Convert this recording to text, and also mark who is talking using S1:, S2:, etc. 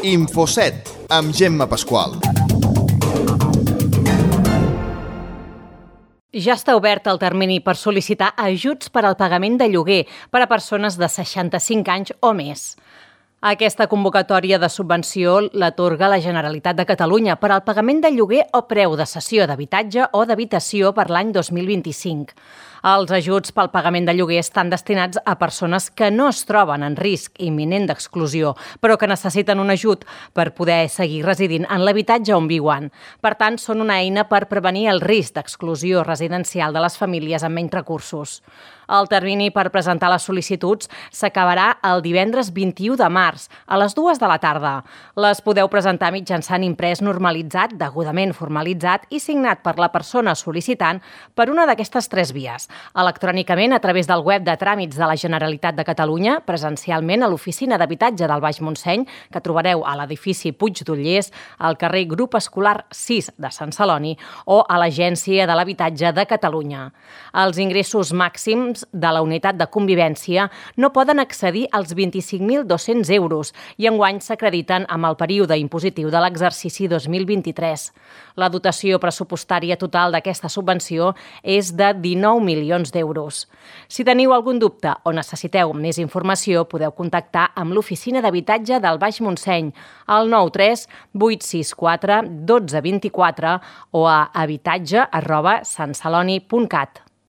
S1: Infoset, amb Gemma Pasqual.
S2: Ja està obert el termini per sol·licitar ajuts per al pagament de lloguer per a persones de 65 anys o més. Aquesta convocatòria de subvenció l'atorga la Generalitat de Catalunya per al pagament de lloguer o preu de cessió d'habitatge o d'habitació per l'any 2025. Els ajuts pel pagament de lloguer estan destinats a persones que no es troben en risc imminent d'exclusió, però que necessiten un ajut per poder seguir residint en l'habitatge on viuen. Per tant, són una eina per prevenir el risc d'exclusió residencial de les famílies amb menys recursos. El termini per presentar les sol·licituds s'acabarà el divendres 21 de març, a les 2 de la tarda. Les podeu presentar mitjançant imprès normalitzat, degudament formalitzat i signat per la persona sol·licitant per una d'aquestes 3 vies. Electrònicament a través del web de tràmits de la Generalitat de Catalunya, presencialment a l'Oficina d'Habitatge del Baix Montseny, que trobareu a l'edifici Puig d'Ullers, al carrer Grup Escolar 6 de Sant Celoni o a l'Agència de l'Habitatge de Catalunya. Els ingressos màxims de la unitat de convivència no poden excedir als 25.200 euros i enguany s'acrediten amb el període impositiu de l'exercici 2023. La dotació pressupostària total d'aquesta subvenció és de 19 milions d'euros. Si teniu algun dubte o necessiteu més informació, podeu contactar amb l'Oficina d'Habitatge del Baix Montseny al 93 864 1224 o a habitatge@santceloni.cat.